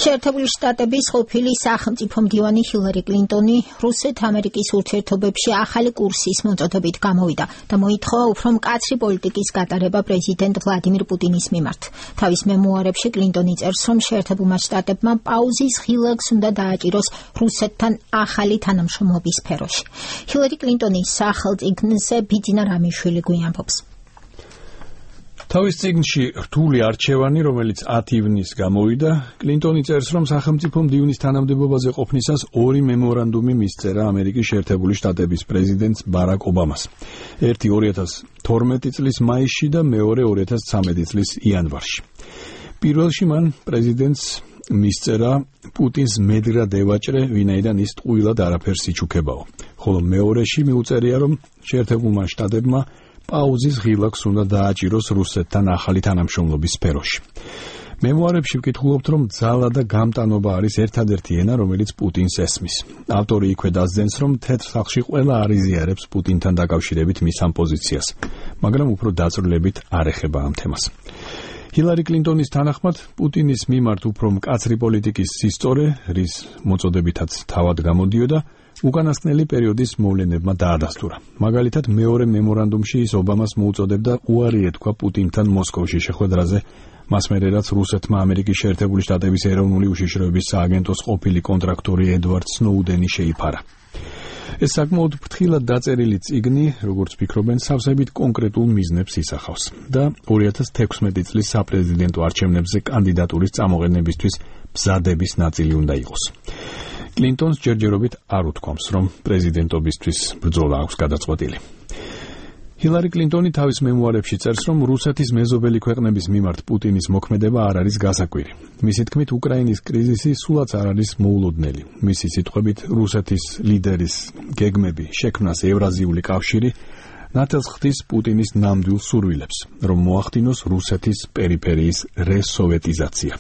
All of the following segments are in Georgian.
შეერთებული შტატების ყოფილი სახელმწიფო მდივანი ჰილარი კლინტონი რუსეთ-ამერიკის ურთიერთობებში ახალი კურსის მოწოდებით გამოვიდა და მოითხოვა უფრო მკაცრი პოლიტიკის გატარება პრეზიდენტ ვლადიმირ პუტინის მიმართ. თავის მემუარებში კლინტონი წერს, რომ შეერთებულმა შტატებმა პაუზის ღილაკს უნდა დააჭიროს რუსეთთან ახალი თანამშრომლობის სფეროში. ჰილარი კლინტონის სახელწიგნზე ბიძინა რამიშვილი გვიანფობს. თავის წიგნში რთული არჩევანი, რომელიც 10 ივნისს გამოვიდა, კლინტონი წერს, რომ სახელმწიფო მდივნის თანამდებობაზე ყოფნისას 2 მემორანდუმი მისწერა ამერიკის შეერთებული შტატების პრეზიდენტს ბარაკ ობამას. ერთი 2012 წლის მაისში და მეორე 2013 წლის იანვარში. პირველში მან პრეზიდენტს მისწერა პუტინს მედრად ევაჭრე, ვინაიდან ის ტყუილად არაფერს იჩუქებაო. ხოლო მეორეში მიუწერია, რომ შეერთებულმა შტატებმა პაუზის ღილაკს უნდა დააჭიროს რუსეთთან ახალი თანამშრომლობის სფეროში. მემუარებში ვკითხულობთ, რომ ძალა და გამტანობა არის ერთადერთი ენა, რომელიც პუტინს ესმის. ავტორი იქვე დასძენს, რომ თეთრ სახლში ყველა არიზიარებს პუტინთან დაკავშირებით მის ამ პოზიციას, მაგრამ უფრო დაწვრილებით არ ეხება ამ თემას. ჰილარი კლინტონის თანახმად, პუტინის მიმართ უფრო მკაცრი პოლიტიკის სისწორე, რის მოწოდებითაც თავად გამოდიოდა, უკანასკნელი პერიოდის მოვლენებმა დაადასტურა. მაგალითად, მეორე მემორანდუმში ის ობამას მოუწოდებდა უარი ეთქვა პუტინთან მოსკოვში შეხვედრაზე, მას მერე რაც რუსეთმა ამერიკის შეერთებული შტატების ეროვნული უშიშროების სააგენტოს ყოფილი კონტრაქტორი ედვარდ სნოუდენი შეიფარა. ეს საკმაოდ ფრთხილად დაწერილი წიგნი, როგორც ფიქრობენ, სავსებით კონკრეტულ მიზნებს ისახავს და 2016 წლის საპრეზიდენტო არჩევნებზე კანდიდატურის წამოყენებისთვის მზადების ნაწილი უნდა იყოს. კლინტონს ჯერჯერობით არ უთქვამს, რომ პრეზიდენტობისთვის ბრძოლა აქვს გადაწყვეტილი. ჰილარი კლინტონი თავის მემუარებში წერს, რომ რუსეთის მეზობელი ქვეყნების მიმართ პუტინის მოქმედება არ არის გასაკვირი. მისი თქმით, უკრაინის კრიზისი სულაც არ არის მოულოდნელი. მისი სიტყვებით, რუსეთის ლიდერის გეგმები შექმნას ევრაზიული კავშირი ნათელს ხდის პუტინის ნამდვილ სურვილებს, რომ მოახდინოს რუსეთის პერიფერიის რესოვეტიზაცია.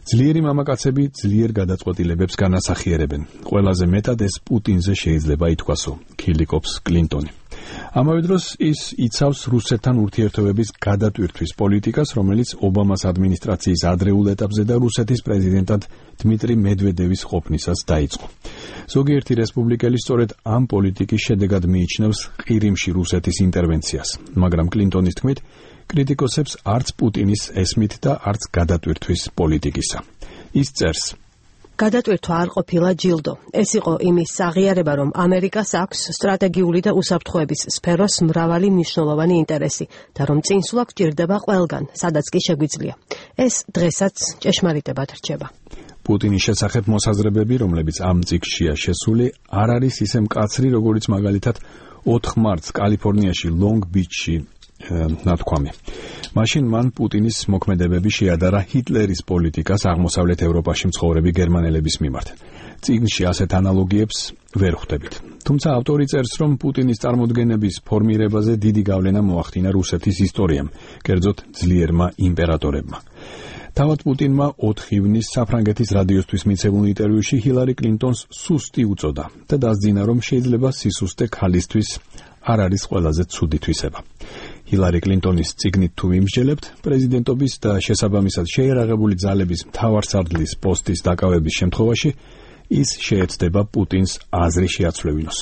ძლიერი მამაკაცები ძლიერ გადაწყვეტილებებს განასახიერებენ. ყველაზე მეტად ეს პუტინზე შეიძლება ითქვასო, ქილიკობს კლინტონი. ამავე დროს ის იცავს რუსეთთან ურთიერთობების გადატვირთვის პოლიტიკას, რომელიც ობამას ადმინისტრაციის ადრეულ ეტაპზე და რუსეთის პრეზიდენტად დმიტრი მედვედევის ყოფნისას დაიწყო. ზოგიერთი რესპუბლიკელი სწორედ ამ პოლიტიკის შედეგად მიიჩნევს ყირიმში რუსეთის ინტერვენციას, მაგრამ კლინტონის თქმით, კრიტიკოსებს არც პუტინის ესმით და არც გადატვირთვის პოლიტიკისა. ის წერს: გადატვირთვა არ ყოფილა ჯილდო. ეს იყო იმის აღიარება, რომ ამერიკას აქვს სტრატეგიული და უსაფრთხოების სფეროს მრავალი მნიშვნელოვანი ინტერესი და რომ წინსვლა გჭირდება ყველგან, სადაც კი შეგვიძლია. ეს დღესაც ჭეშმარიტებად რჩება. პუტინის შესახებ მოსაზრებები, რომლებიც ამ წიგნშია შესული, არ არის ისე მკაცრი, როგორიც მაგალითად 4 მარტს კალიფორნიაში ლონგ-ბიჩში ნათქვამი. მაშინ მან პუტინის მოქმედებები შეადარა ჰიტლერის პოლიტიკას აღმოსავლეთ ევროპაში მცხოვრები გერმანელების მიმართ. წიგნში ასეთ ანალოგიებს ვერ ხვდებით. თუმცა ავტორი წერს, რომ პუტინის წარმოდგენების ფორმირებაზე დიდი გავლენა მოახდინა რუსეთის ისტორიამ, კერძოდ ძლიერმა იმპერატორებმა. თავად პუტინმა 4 ივნისს საფრანგეთის რადიოსთვის მიცემულ ინტერვიუში ჰილარი კლინტონს სუსტი უწოდა და დასძინა, რომ შეიძლება სისუსტე ქალისთვის არ არის ყველაზე ცუდი თვისება. ჰილარი კლინტონის წიგნით თუ ვიმსჯელებთ, პრეზიდენტობის და შესაბამისად შეიარაღებული ძალების მთავარსარდლის პოსტის დაკავების შემთხვევაში ის შეეცდება პუტინს აზრი შეაცვლევინოს.